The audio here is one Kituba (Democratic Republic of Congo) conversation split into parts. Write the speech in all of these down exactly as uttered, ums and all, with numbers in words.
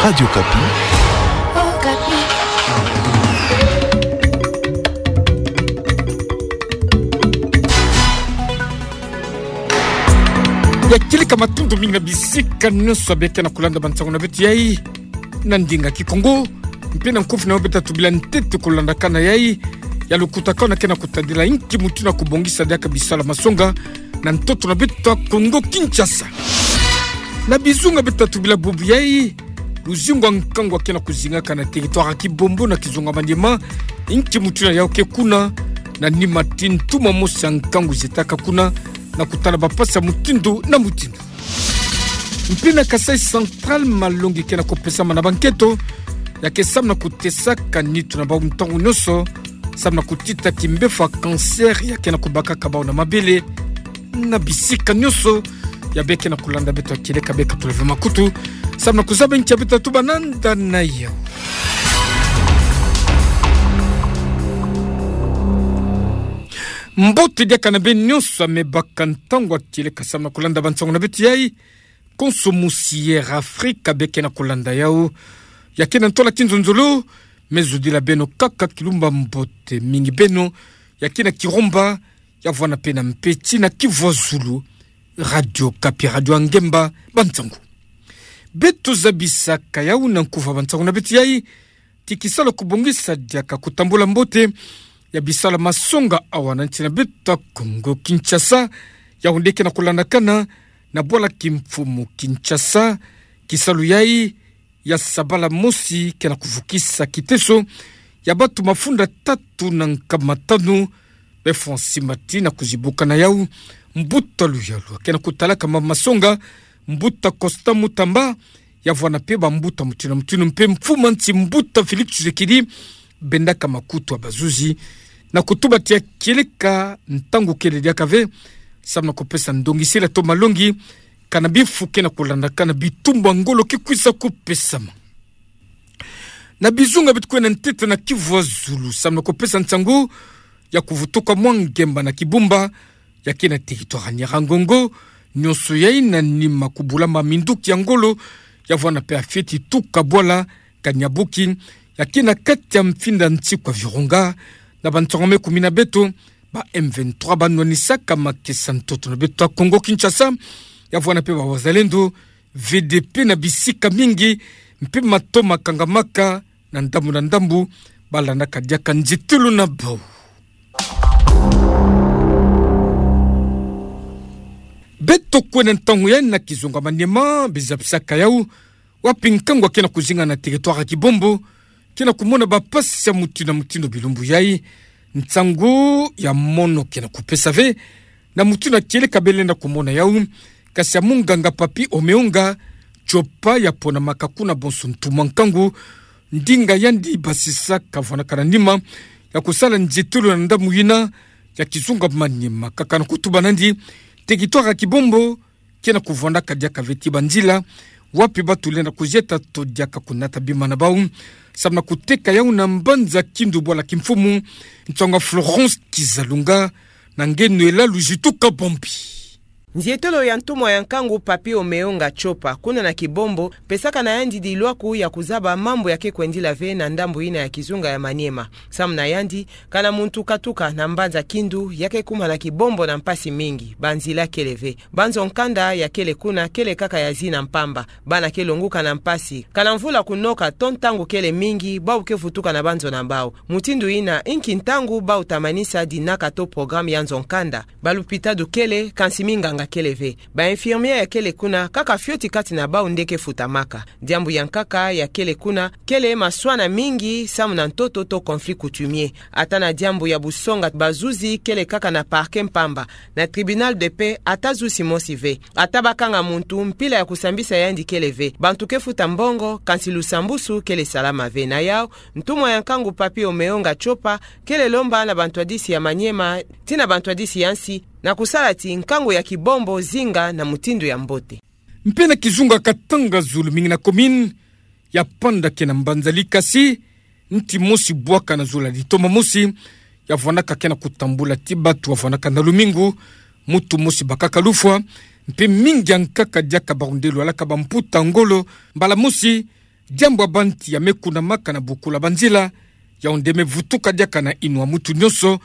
Radio Okapi. Ya kieleka, matondo mingi na bisika nyonso beke na kulanda bansango na beto yai na ndinga Kikongo. Mpe na nkufi na yo beto tubila ntete kulandakana yai ya lukutakana ke na kutadila inki mutu na kubongisa diaka bisalu ya masonga na ntoto na beto Kongo Kinshasa. Na bizunga beto tubila bubu yai, luzingu ya nkangu ke na kuzingaka na territoire ya Kibombo na kizunga Maniema, inki mutu na yau ke kuna, na nima ti ntu mosi ya nkangu zetaka kuna, na kutala bampasi ya mutindu na mutindu. Mpe na Kasaï Central, malongi ke na kupesama na banketo ya ke samu na kutesaka nitu na bau ntangu nyonso, samu na kutita kimbevo ya cancer ya ke na kubakaka bau na mabele na bisika nyonso. Ya beke na kulanda beto ya kieleka, beka tuleve makutu samu na kuzaba inki ya beto tuba nanda na yau. Mbote diaka na beno nyonso, ya me baka ntangu ya kieleka samu na kulanda bansango na beto yai. Konso mosi ya Air Afrique beke na kulanda yau. Ya ke na ntola kinzonzolo, me zudila beno kaka kilumba mbote mingi beno ya ke na Kirumba, ya vwanda mpe na Mpeti na Kivu ya Zulu. Radio Okapi, radio ya ngemba, bansango. Beto zabisaka yau na nkufi ya bansango na beto yai ti kisalu ya kubongisa diaka kutambula mbote ya bisalu ya masonga awa na nsi na beto Kongo Kinshasa, yau nde ke na kulandakana na bwala kimfumu Kinshasa. Kisalu yai ya sabala mosi ke na kuvukisa kiteso ya bantu mafunda tatu na nkama tanu befwa nsimbati na kuzibuka na yau mbuta luyalu ke na kutalaka ma masonga, mbuta Constant Mutamba, ya vwanda mpe bambuta mutindu na mutindu, mpe mfumu ya nsi mbuta Félix Tshisekedi bendaka makutu ya bazuzi na kutuba ti ya kieleka ntangu kele diaka ve samu na kupesa ndongisela to malongi kana bifu ke na kulandakana, bitumbu ya ngolo ke kwiza kupesama. Na bizunga beto kwe na ntete na Kivu ya Zulu samu na kupesa nsangu ya kuvutuka mwa ngemba na Kibumba ya ke na territoire ya Nyiragongo, nyonso yai na nima kubulama minduki ya ngolo, ya vwanda mpe ya fioti tuka bwala Kanyabuki ya ke na kati ya mfinda nsi kwa Virunga. Na bansango me kumina beto, ba M vingt-trois banwanisaka makesa ntoto na beto Kongo Kinshasa, ya vwanda mpe ba Wazalendo, V D P na bisika mingi, mpe mato makangamaka na ndambu na ndambu, balandaka diaka nzietolo na bau. Beto kwe na ntangu yai na kizunga Maniema, bezabisaka yau, wapi nkangu ke na kuzinga na territoire ya Kibombo ke na kumona bampasi ya mutindu na mutindu bilumbu yai. Nsangu ya mono ke na kupesa ve na mutindu ya kieleka belenda kumona yau, kasi ya munganga Papy Omeonga Tshopa, ya ponamaka kuna bonso ntumwa nkangu, ndinga yandi basisa kavwanaka na nima ya kusala nzietolo na ndambu yina ya kizunga Maniema, kaka na kutuba nandi, territoire ya Kibombo ke na kuvwandaka diaka ve ti banzila wapi batu lenda kuzieta to diaka kunata bima na bau, samu na kuteka yau na mbanza Kindu bwala kimfumu. Nsangu ya Florence Kizalunga na nge Noëlla Luzitu Kabambi. Nzietolo ya ntumwa ya nkangu Papy Omeonga Tshopa kuna na Kibombo pesaka na yandi dilwaku ya kuzaba mambu ya ke kwendila ve na ndambu yina ya kizunga ya Maniema. Samu na yandi, kana muntu katuka na mbanza Kindu, ya ke kuma na Kibombo na mpasi mingi, banzila kele ve. Banzo nkanda ya kele kuna kele kaka ya zina mpamba. Bana ke longuka na mpasi. Kana mvula kunoka to ntangu kele mingi, bau ke vutuka na banzo na bau. Mutindu yina, inki ntangu bau ta manisa dinaka to programme ya nzo nkanda? Balupitadu kele, kansi minganga kele ve. Ba infirmière ya kele kuna, kaka fioti kati na bau nde ke futamaka. Diambu ya nkaka ya kele kuna kele maswana mingi samu na ntoto to conflit coutumier. Ata na diambu ya busonga bazuzi kele kaka na parquet mpamba, na tribunal de paix ata zuzi mosi ve. Ata bakanga muntu, mpila ya kusambisa yandi kele ve. Bantu ke futa mbongo, kansi lusambusu kele salama ve. Na yau, ntumwa ya nkangu Papy Omeonga Tshopa kele lomba na bantwadisi ya Maniema ti na bantwadisi ya nsi na kusala ti nkangu ya Kibombo zinga na mutindu ya mbote. Mpe na kizunga Katanga, zulu mingi na commune ya Mpanda ke na mbanza Likasi, nti mosi bwaka na zulu ya litoma mosi ya vwanaka ke na kutambula ti batu wa vwanaka na lumingu, mutu mosi bakaka lufwa, mpe mingi ya nkaka diaka barundelu alaka bamputa ngolo, mbala mosi Diambu ya banti ya me kunamaka na bukula banzila, yau nde me vutuka diaka na yinwa mutu nionso,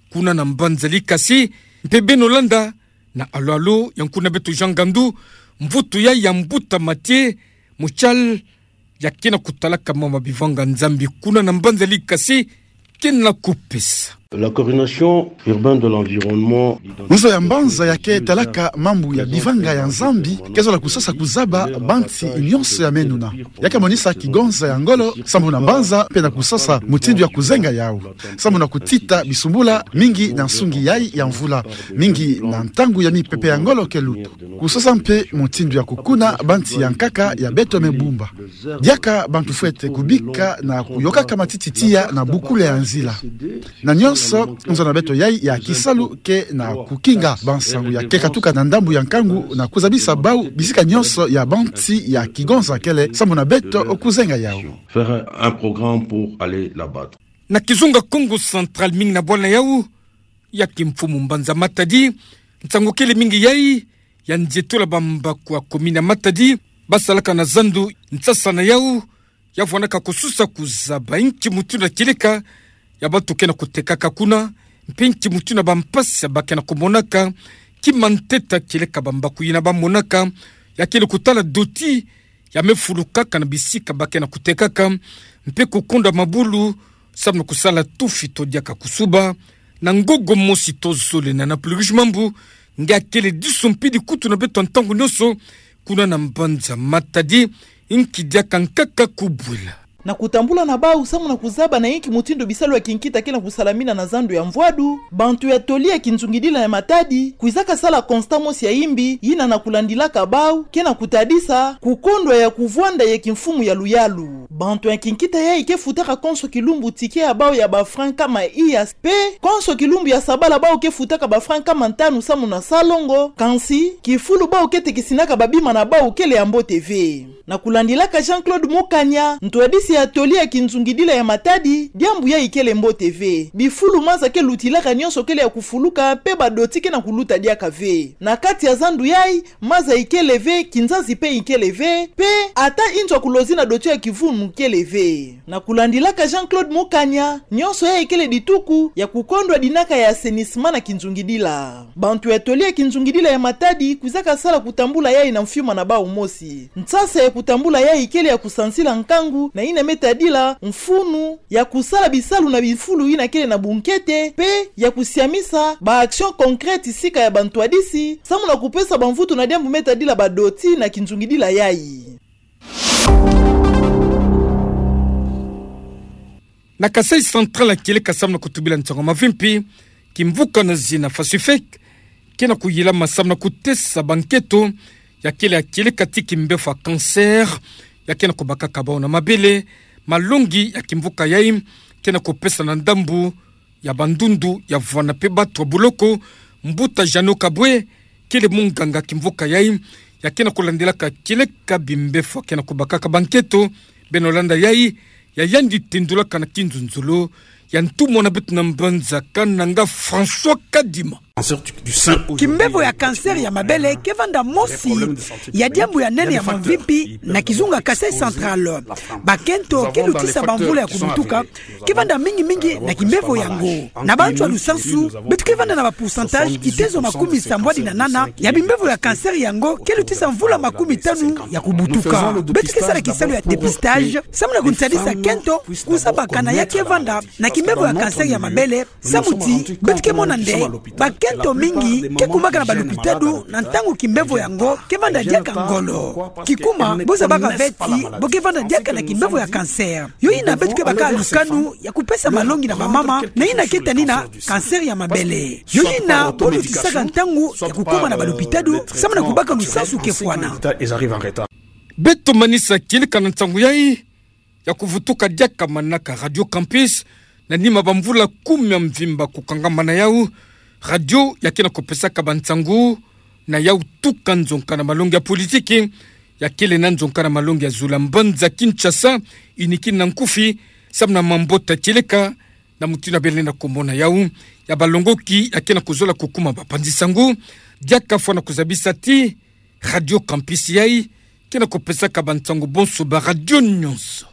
kuna na mbanza Likasi, mpe beno landa na alo-alo ya nkuna beto Jean Ngandu, mvutu ya ya mbuta Mathieu Mouchal, ya kena kutalaka mama bivanga Nzambi kuna na mbanza Likasi, kena kupesa. La coordination urbaine de l'environnement. Nzo ya mbanza ya ke talaka mambu ya bivanga ya Nzambi, ke zola kusasa kuzaba banti nionso ya menuna. Ya ke monisa kigonza ya ngolo, sambu na mbanza, mpe na kusasa mutindu ya kuzenga yau. Sambu na kutita bisumbula, mingi na nsungi yai ya mvula. Mingi na ntangu ya mipepe ya ngolo ke lutu. Kusasa mpe mutindu ya kukuna banti ya nkaka ya beto me bumba. Diaka bantu fwete kubika na kuyokaka matiti tiya na bukula ya nzila. Na nionso, nzo na beto yai ya kisalu ke na kukinga bansangu ya ke katuka na ndambu ya nkangu na kuzabisa bau bisika nionso ya banti ya kigonza kele sambu na beto kuzenga yau. Faire un programme pour aller là-bas. Na kizunga Kongo Central mingi na bwala yau, ya kimfumu mbanza Matadi, nsangu kele mingi yai ya nzietula bambaku ya komini ya Matadi, basalaka na zandu nsasa na yau, ya vwanaka kususa kuzaba inki mutindu ya kieleka ya bantu ke na kutekaka kuna, mpe inki mutindu ya bampasi ya ba ke na kumonaka, kima ntete ya kieleka bambaku yina bamonaka, ya kele kutala doti, ya me fulukaka na bisika ba ke na kutekaka, mpe kukondwa mabulu, sambu na kusala tufi to diaka kusuba, na ngogo mosi to zole na, na Plurish Mambu, nge akele diso mpidi kutu na beto ntangu nionso, kuna na mbanza Matadi, inki diaka nkaka kubwila. Na kutambula na bau sambu na kuzaba na inki mutindu bisalu ya kinkita ke na kusalamina na zandu ya Mvwadu, bantu ya toli ya kinzungidila ya Matadi, kwizaka sala constat mosi ya imbi, yina na kulandilaka bau, ke na kutadisa, kukondwa ya kuvwanda ya kimfumu ya luyalu. Bantu ya kinkita yai ke futaka konso kilumbu ticket ya bau ya ba francs nkama iya, mpe konso kilumbu ya sabala bau ke futaka ba francs nkama ntanu sambu na salongo, kansi, kifulu bau ke tekisinaka babima na bau kele ya mbote ve. Na kulandilaka Jean-Claude Mukanya, ntwadisi ya toli ya kinzungidila ya Matadi, diambu yai kele mbote ve. Bifulu maza ke lutilaka nionso kele ya kufuluka, mpe badoti ke na kuluta diaka ve. Na kati ya zandu yai, maza ikele ve, kinzazi mpe ikele ve, mpe ata inzo ya kulozi na doti ya kivunu kele ve. Na kulandilaka Jean-Claude Mukanya, nionso yai kele dituku ya kukondwa dinaka ya assainissement na kinzungidila. Bantu ya toli ya kinzungidila ya Matadi kwizaka sala kutambula yai na mfiuma na bau mosi. Nsasa ya kutambula yai kele ya kusansila nkangu na yina me tadila mfunu ya kusala bisalu na bifulu yina kele na bunkete, mpe ya kusiamisa ba actions concrètes sika ya bantwadisi, sambu na kupesa bamvutu na diambu me tadila badoti na kinzungidila yai. Na Kasaï Central ya kieleka sambu na kutubila nsangu ya mavimpi, kimvuka na zina Fasufec, ke na kuyilama sambu na kutesa bankento ya kele ya kieleka ti kimbefo ya cancer, ya ke na kubakaka bau na mabele, malongi ya kimvuka yai, ke na kupesa na ndambu ya bandundu ya vwanda mpe batu ya buloko, mbuta Jeannot Kabwe, kele munganga kimvuka yai, ya ke na kulandilaka kieleka bimbefo ya ke na kubakaka bankento, beno landa yai, ya yandi tendulaka na kinzonzolo ya ntumwa na beto na mbanza Kananga François Kadima. Kimbefo ya cancer ya mabele ke vanda mosi ya diambu ya nene ya mavimpi na kizunga Kasaï Central. Bakento ke lutisa bamvula ya kubutuka ke vanda mingi mingi na kimbefo yango. Na bantu ya lusansu, beto ke vanda na ba pourcentage kitezo makumi sambwadi na nana ya bimbefo ya cancer yango ke lutisa mvula makumi tanu ya kubutuka. Beto ke sala kisalu ya dépistage, sambu na kuntadisa kento kusabakana ya ke vanda na kimbefo ya cancer ya mabele, samu ti beto ke mona nde bakento mingi ke kumaka na balupitalu na ntangu kimbefo yango ke vanda diaka ngolo. Kikuma, bo zabaka ve ti bo ke vanda diaka na kimbefo ya cancer. Yo yina beto ke baka lukanu ya kupesa malongi na bamama na yina ke tani na cancer ya mabele. Yo yina bo lutisaka ntangu ya kukuma na balupitalu, sambu na kubaka lusansu ke fwana. Beto manisa kieleka na nsangu yai ya kuvutuka diaka manaka Radio Campus, na nima bamvula kumi ya mvimba kukangamana yau, radio ya ke na kupesaka bansangu na yau tuka nzonka na malongi ya politiki, ya kele na nzonka na malongi ya zulu ya mbanza Kinshasa, inikini na nkufi, samu na mambota kieleka, na mutindu ya bele na kumona yau, ya balongoki ya ke na kuzola kukuma bapanzi sangu, diaka fwana kuzabisa ti, Radio Campus yai, Kina kupesaka bansangu bonso ba radio nyonso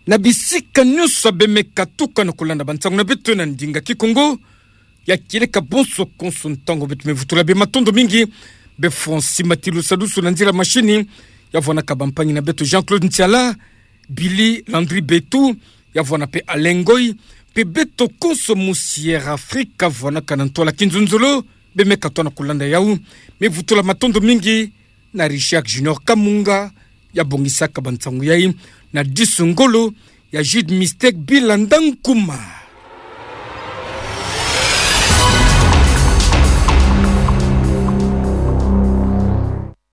na bisika nyonso abe me katuka na kulanda bansangu na beto na ndinga Kikongo. Ya kieleka bonso konso ntangu beto me vutula bie, matondo mingi. Be Francis Matilu Sadusu na nzila machine, ya vwanaka bampangi na beto Jean-Claude Ntiala, Billy Landry Betu, ya vwana pe Alengoi, pe beto konso mu Sierra Africa vwanaka na ntwala kinzonzolo, be me katuka na kulanda yau. Me vutula matondo mingi na Richard Junior Kamunga, ya bongisaka bansangu yai, na disu ngolo ya Jude Mistake Bilanda Nkuma.